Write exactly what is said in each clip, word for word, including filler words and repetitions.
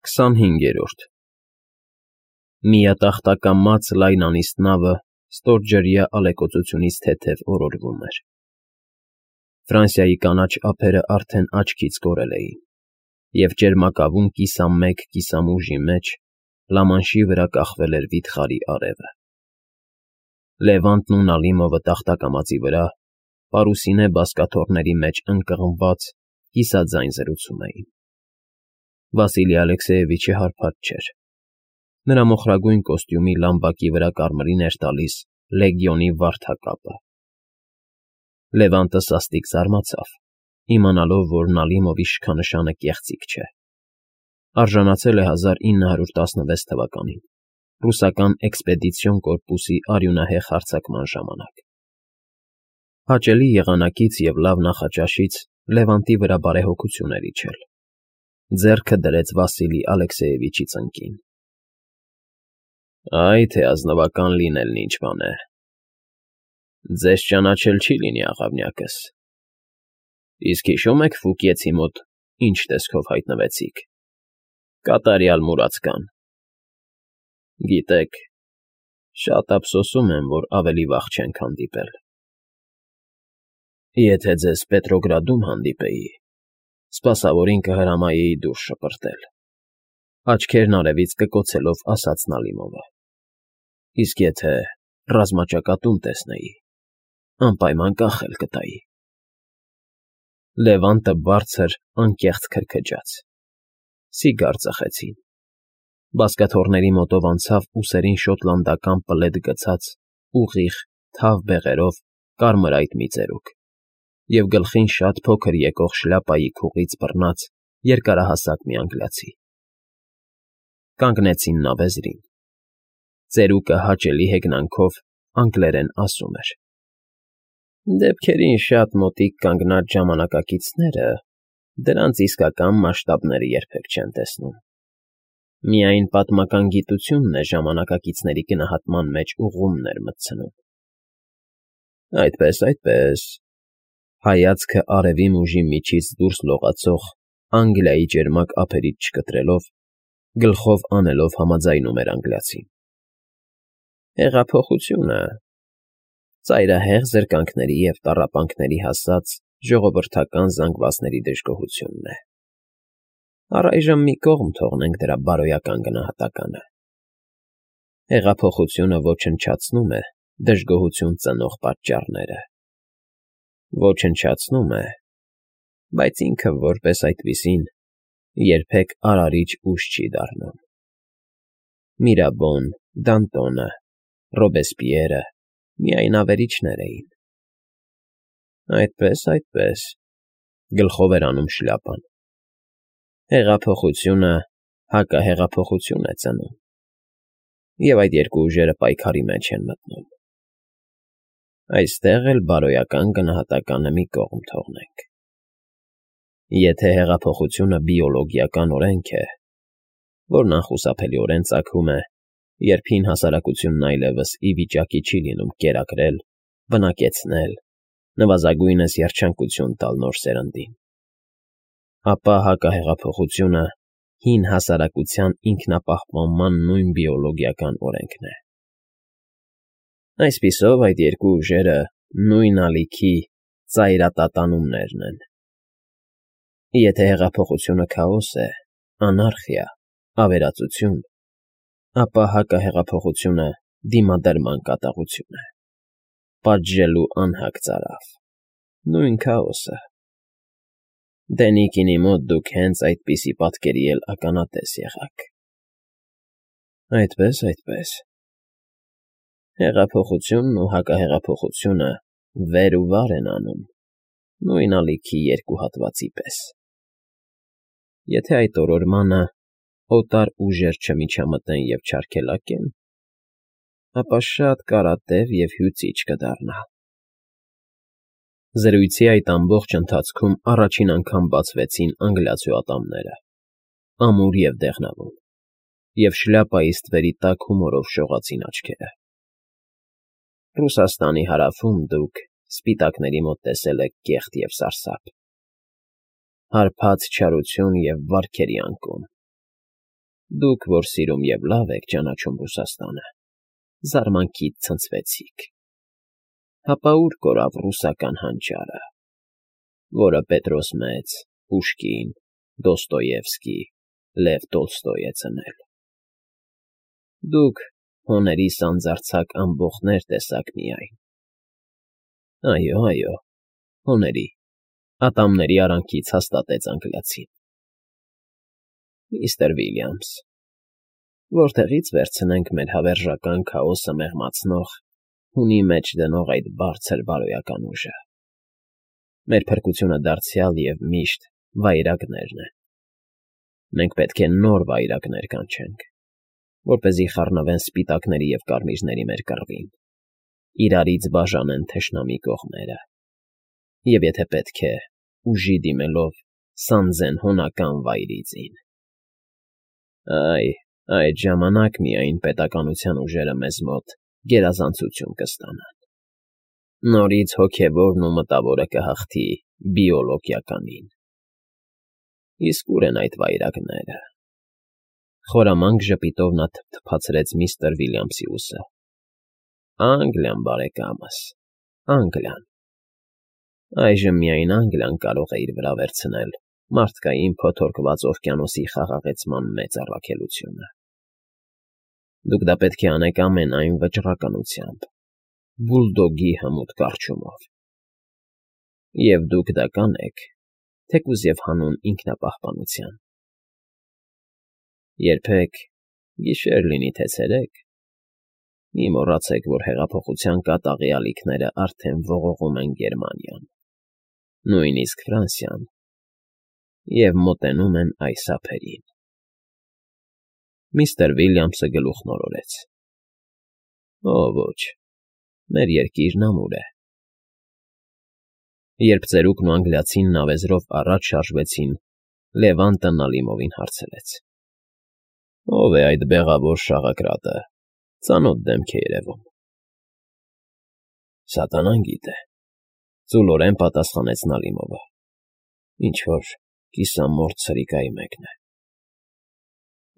քսանհինգերորդ Միատախտակամած լայնանիստ նավը ստորջրյա ալեկոծությունից թեթև օրորվում էր։ Ֆրանսիայի կանաչ ափերը արդեն աչքից կորել էին, և ճերմակավուն կիսամեկ կիսամուժի մեջ Լամանշի վրա կախվել էր վիթխարի արևը։ Լևանտն ու Նալիմովը տախտակամածի վրա, պարուսինե բազկաթոռների մեջ ընկղմված, կիսաձայն զրուցում էին։ Վասիլի Ալեքսեևիչը հարբած չէր։ Նրա մոխրագույն կոստյումի լամբակի վրա կարմիրին էր տալիս լեգիոնի վարդակապը։ Լևանտը սաստիկ զարմացավ, իմանալով, որ Նալիմովի շքանշանը կեղծիք չէ։ Արժանացել է հազար ինը հարյուր տասնվեց թվականին, ռուսական էքսպեդիցիոն կորպուսի արյունահեղ հարձակման ժամանակ։ Հաճելի եղանակից և լավ նախաճաշից Լևանտի վրա բարեհոգություն էր իջել։ Ձեռքը դրեց Վասիլի Ալեքսեևիչի ծնկին։ ֊ Այ թե ազնվական լինելն ինչ բան է։ Ձեզ ճանաչել չի լինի, աղավնյակս, իսկ հիշո՞ւմ եք Ֆուկիեցի մոտ ինչ տեսքով հայտնվեցիք։ Կատարյալ մուրացկան։ Գիտեք, շատ ափսոսում եմ, որ ավելի վաղ չենք հանդիպել։ Եթե ձեզ Պետրոգրադում հանդիպեի, սպասավորին կհրամայեի դուրս շպրտել,֊ աչքերն արևից կկոցելով ասաց Նալիմովը,֊ իսկ եթե ռազմաճակատում տեսնեի, անպայման կախել կտայի։ Լևանտը բարձր, անկեղծ քրքջաց։ Սիգար ծխեցին։ Բազկաթոռների մոտով անցավ ուսերին շոտլանդական պլեդ գցած, ուղիղ, թավ բեղերով կարմրայիտ մի ծերուկ և գլխին շատ փոքր եկող շլյապայի քուղից բռնած երկարահասակ մի անգլիացի։ Կանգնեցին նավեզրին։ Ծերուկը հաճելի հեգնանքով անգլերեն ասում էր. «Դեպքերին շատ մոտիկ կանգնած ժամանակակիցները դրանց իսկական մասշտաբները երբեք չեն տեսնում։ Միայն պատմական գիտությունն է ժամանակակիցների գնահատման մեջ ուղղումներ մտցնում»։ Այդպես, այդպես,֊ հայացքը արևի մուժի միջից դուրս լողացող Անգլիայի ճերմակ ափերից չկտրելով, գլխով անելով համաձայնում էր անգլիացին,֊ հեղափոխությունը ծայրահեղ զրկանքների և տառապանքների հասած ժողովրդական զանգվածների դժգոհությունն է։ Առայժմ մի կողմ թողնենք դրա բարոյական գնահատականը։ Հեղափոխությունը ոչնչացնում է դժգոհություն ծնող պատճառները։ Ոչնչացնում է, բայց ինքը որպես այդպիսին երբեք արարիչ ուժ չի դառնում։ Միրաբոն, Դանտոնը, Ռոբեսպիերը միայն ավերիչներ էին։ Այդպես, այդպես,֊ գլխով էր անում շլյապան,֊ հեղափոխությունը հակահեղափոխություն է ծնում, և այդ երկու ուժերը պայքարի մեջ են մտնում։ Այստեղ էլ բարոյական գնահատականը մի կողմ թողնենք։ Եթե հեղափոխությունը բիոլոգիական օրենք է, որն անխուսափելիորեն ծագում է, երբ հին հասարակությունն այլևս ի վիճակի չի լինում կերակրել, բնակեցնել, նվազագույնս երջանկություն տալ նոր սերնդին, ապա հակահեղափոխությունը հին հասարակության ինքնապահպանման նույն բիոլոգիական օրենքն է։ Այսպիսով, այդ երկու ուժերը նույն ալիքի ծայրատատանումներն են։ Եթե հեղափոխությունը քաոս է, անարխիա, ավերածություն, ապա հակահեղափոխությունը դիմադրման կատաղություն է, պատժելու անհագ ծարավ, նույն քաոսը։ Դենիքինի մոտ դուք հենց այդպիսի պատկերի էլ ականատես եղաք։ Այդպես, այդպես,… Հեղափոխությունն ու հակահեղափոխությունը վեր ու վար են անում, նույն ալիքի երկու հատվածի պես։ Եթե այդ օրորմանը օտար ուժեր չմիջամտեն և չարգելակեն, ապա շատ կարատև և հյուծիչ կդառնա։ Զրույցի այդ ամբողջ ընթացքում առաջին անգամ բացվեցին անգլիացու ատամները, ամուր և դեղնավուն, և շլյապայի ստվերի տակ հումորով շողացին աչքերը։ Ռուսաստանի հարավում դուք սպիտակների մոտ տեսել եք կեղտ և սարսափ, հարբած չարություն և վարքերի անկում, Դուք, որ սիրում և լավ եք ճանաչում Ռուսաստանը, զարմանքից ցնցվեցիք։ Հապա ուր կորավ ռուսական հանճարը, որը Պետրոս Մեծ, Պուշկին, Դոստոևսկի, Լև Տոլստոյ է ծնել։ Դուք հոների սանձարձակ ամբոխներ տեսաք միայն։ Այո, այո, հոների, ատամների արանքից հաստատեց անգլիացին։ Միստր Վիլյամս, որտեղի՞ց վերցնենք մեր հավերժական քաոսը մեղմացնող, հունի մեջ դնող այդ բարձր բարոյական ուժը։ Մեր փրկությունը դարձյալ և միշտ վայրագներն են։ Մենք պետք է նոր վայրագներ կանչենք, որպեսզի խառնվեն սպիտակների և կարմիրների մեր կռվին, իրարից բաժանեն թշնամի կողմերը, և եթե պետք է, ուժի դիմելով, սանձեն հոնական վայրիձին։ Այ, այդ ժամանակ միայն պետականության ուժերը մեզ մոտ գերազանցություն կստանան։ Նորից հոգևորն ու մտավորը կհաղթի բիոլոգիականին։ Իսկ ո՞ւր են այդ վայրագները։ Խորամանկ ժպիտով նա թփթփացրեց միստր Վիլյամսի ուսը։ Անգլիան, բարեկամս, Անգլիան։ Այժմ միայն Անգլիան կարող է իր վրա վերցնել մարդկային փոթորկված օվկիանոսի խաղաղեցման մեծ առաքելությունը։ Դուք դա պետք է անեք ամենայն վճռականությամբ, բուլդոգի հմուտ կառչումով։ Եվ դուք դա կանեք, թեկուզ և հանուն ինքնապահպանության։ Երբեք, գիշեր լինի թե ցերեկ, մի մոռացեք, որ հեղափոխության կատաղի ալիքները արդեն ողողում են Գերմանիան, նույնիսկ Ֆրանսիան, և մոտենում են այս ափերին։ Միստր Վիլյամսը գլուխ մորորեց։ Օ, ոչ, մեր երկիրն ամուր է։ Երբ ծերուկն ու անգլիացին նավեզրով առաջ շարժվեցին, Լևանտը Նալիմովին հարցրեց. Ո՞վ է այդ բեղավոր շաղակրատը, ծանոթ դեմք է երևում։ Սատանան գիտե, ծուլորեն պատասխանեց Նալիմովը։ Ինչ-որ կիսամորթ սրիկայի մեկն է։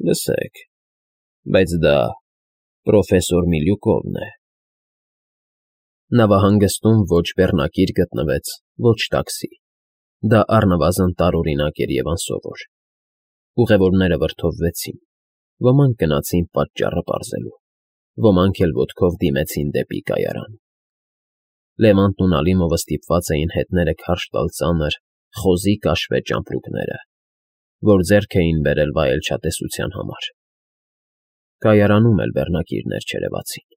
Լսեք, բայց դա պրոֆեսոր Միլյուկովն է։ Նավահանգստում ոչ բեռնակիր գտնվեց, ոչ տաքսի։ Դա առնվազն տարօրինակ էր և անսովոր։ Ուղևորները վրդովվեցին, ոմանք գնացին պատճառը պարզելու, ոմանք էլ ոտքով դիմեցին դեպի կայարան։ Լևանտն ու Նալիմովը ստիպված էին հետները քարշ տալ ծանր, խոզի կաշվե ճամպրուկները, որ ձեռք էին բերել վայելչատեսության համար։ Կայարանում էլ բեռնակիրներ չերևացին։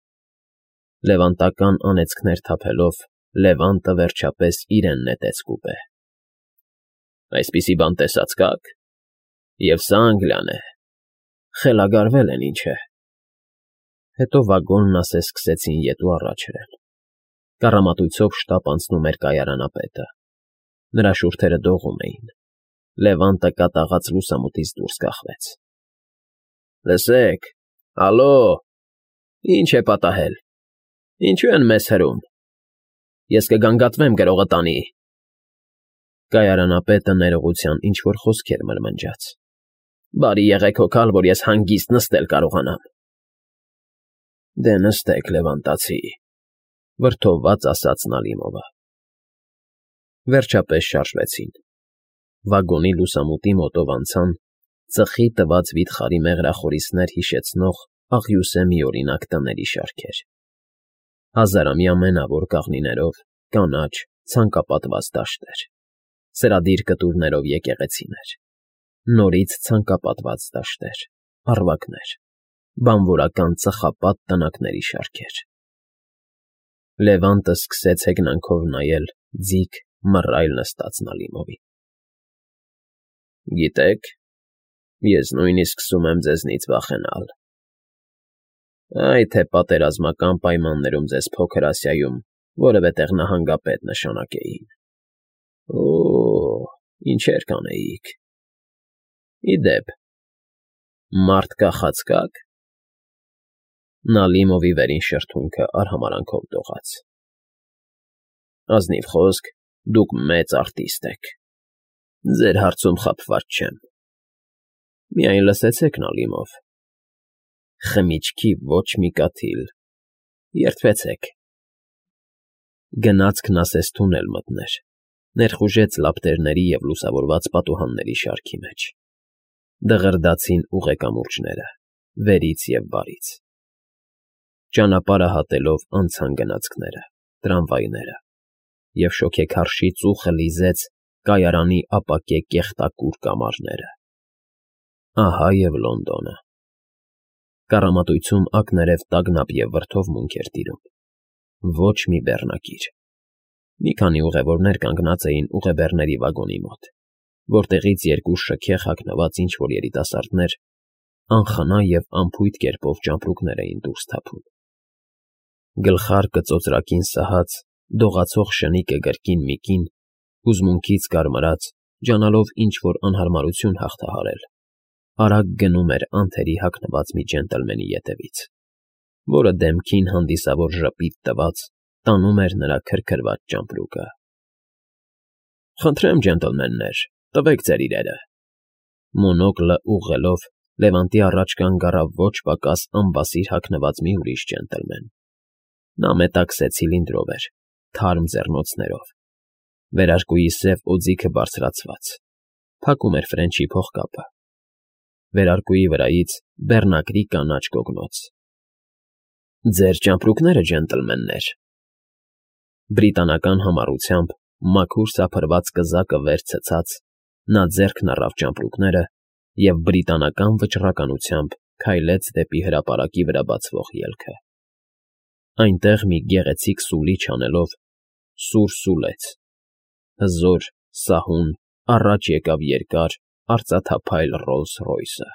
Լևանտական անեծքներ թափելով, Լևանտը վերջապես իրեն նետեց կուպե։ Այսպիսի բան տեսա՞ց կաք։ Եվ սա Անգլիան է։ Խելագարվել են, ինչ է։ Հետո վագոնն ասես սկսեցին ետ ու առաջ հրել։ Կառամատույցով շտապ անցնում էր կայարանապետը։ Նրա շուրթերը դողում էին։ Լևանտը կատաղած լուսամուտից դուրս կախվեց։ Լսեք, ալո, ի՞նչ է պատահել։ Ինչու են մեզ հրում։ Ես կգանգատվեմ գրողը տանի։ Կայարանապետը ներողության ինչ-որ խոսքեր մրմնջաց։ Բարի եղեք հոգալ, որ ես հանգիստ նստել կարողանամ։ Դե նստեք, լևանտացի, վրդովված ասաց Նալիմովը։ Վերջապես շարժվեցին։ Վագոնի լուսամուտի մոտով անցան, ծխի տված վիթխարի մեղրախորիսներ հիշեցնող աղյուսե միօրինակ տների շարքեր։ Հազարամյա մենավոր կաղնիներով, կանաչ, ցանկապատված դաշտեր, սրադիր կտուրներով եկեղեցիներ, նորից ցանկապատված դաշտեր, առվակներ, բանվորական ծխապատ տնակների շարքեր։ Լևանտը սկսեց հեգնանքով նայել ձիգ մռայլ նստած Նալիմովին։ Գիտեք, ես նույնիսկ սկսում եմ ձեզնից վախենալ։ Այ թե պատերազմական պայմաններում ձեզ Փոքր Ասիայում որևէ տեղ նահանգապետ նշանակեին։ Օ՜, ինչեր կանեիք։ Ի դեպ, մարդ կախած կաք։ Նալիմովի վերին շրթունքը արհամարանքով դողաց։ Ազնիվ խոսք, դուք մեծ արտիստ եք։ Ձեր հարցում խաբված չեմ։ Միայն լսեցեք Նալիմով. խմիչքի ոչ մի կաթիլ, երդվեցեք։ Գնացքն ասես թունել մտներ, ներխուժեց լապտերների և լուսավորված պատուհանների շարքի մեջ, դղրդացին ուղեկամուրջները, վերից և վարից, ճանապարհը հատելով անցան գնացքները, տրամվայները, և շոգեքարշի ծուխը լիզեց կայարանի ապակե կեղտակուր կամարները։ Ահա և Լոնդոնը։ Կառամատույցում ակներև տագնապ և վրդովմունք էր տիրում, ոչ մի բեռնակիր։ Մի քանի ուղևորներ կանգնած էին ուղեբեռների վագոնի մոտ, որտեղից երկու շքեղ հագնված ինչ֊որ երիտասարդներ անխնա և անփույթ կերպով ճամպրուկներ էին դուրս թափում։ Գլխարկը ծոծրակին սահած, դողացող շնիկը կրկին մի կին, հուզմունքից կարմրած, ջանալով ինչ֊որ անհարմարություն հաղթահարել, արագ գնում էր անթերի հագնված մի ջենտլմենի ետևից, որը դեմքին հանդիսավոր ժպիտ տված տանում էր նրա քրքրված ճամպրուկը։ ֊ Խնդրեմ, ջենտլմեններ, տվեք ձեր իրերը… Մոնոկլը ուղղելով՝ Լևանտի առաջ կանգ առավ ոչ պակաս անբասիր հագնված մի ուրիշ ջենտլմեն. նա մետաքսե ցիլինդրով էր, թարմ ձեռնոցներով, վերարկուի սև օձիքը բարձրացված, փակում էր ֆրենչի փողկապը, վերարկուի վրայից բեռնակրի կանաչ գոգնոց։ ֊ Ձեր ճամպրուկները, ջենտլմեններ… Բրիտանական համառությամբ, մաքուր սափրված կզակը վեր ցցած, նա ձեռքն առավ ճամպրուկները և բրիտանական վճռականությամբ քայլեց դեպի հրապարակի վրա բացվող ելքը։ Այնտեղ մի գեղեցիկ սուլիչ անելով, սուր սուլեց, հզոր, սահուն, առաջ եկավ երկար, արծաթափայլ Ռոլլս֊Ռոյսը։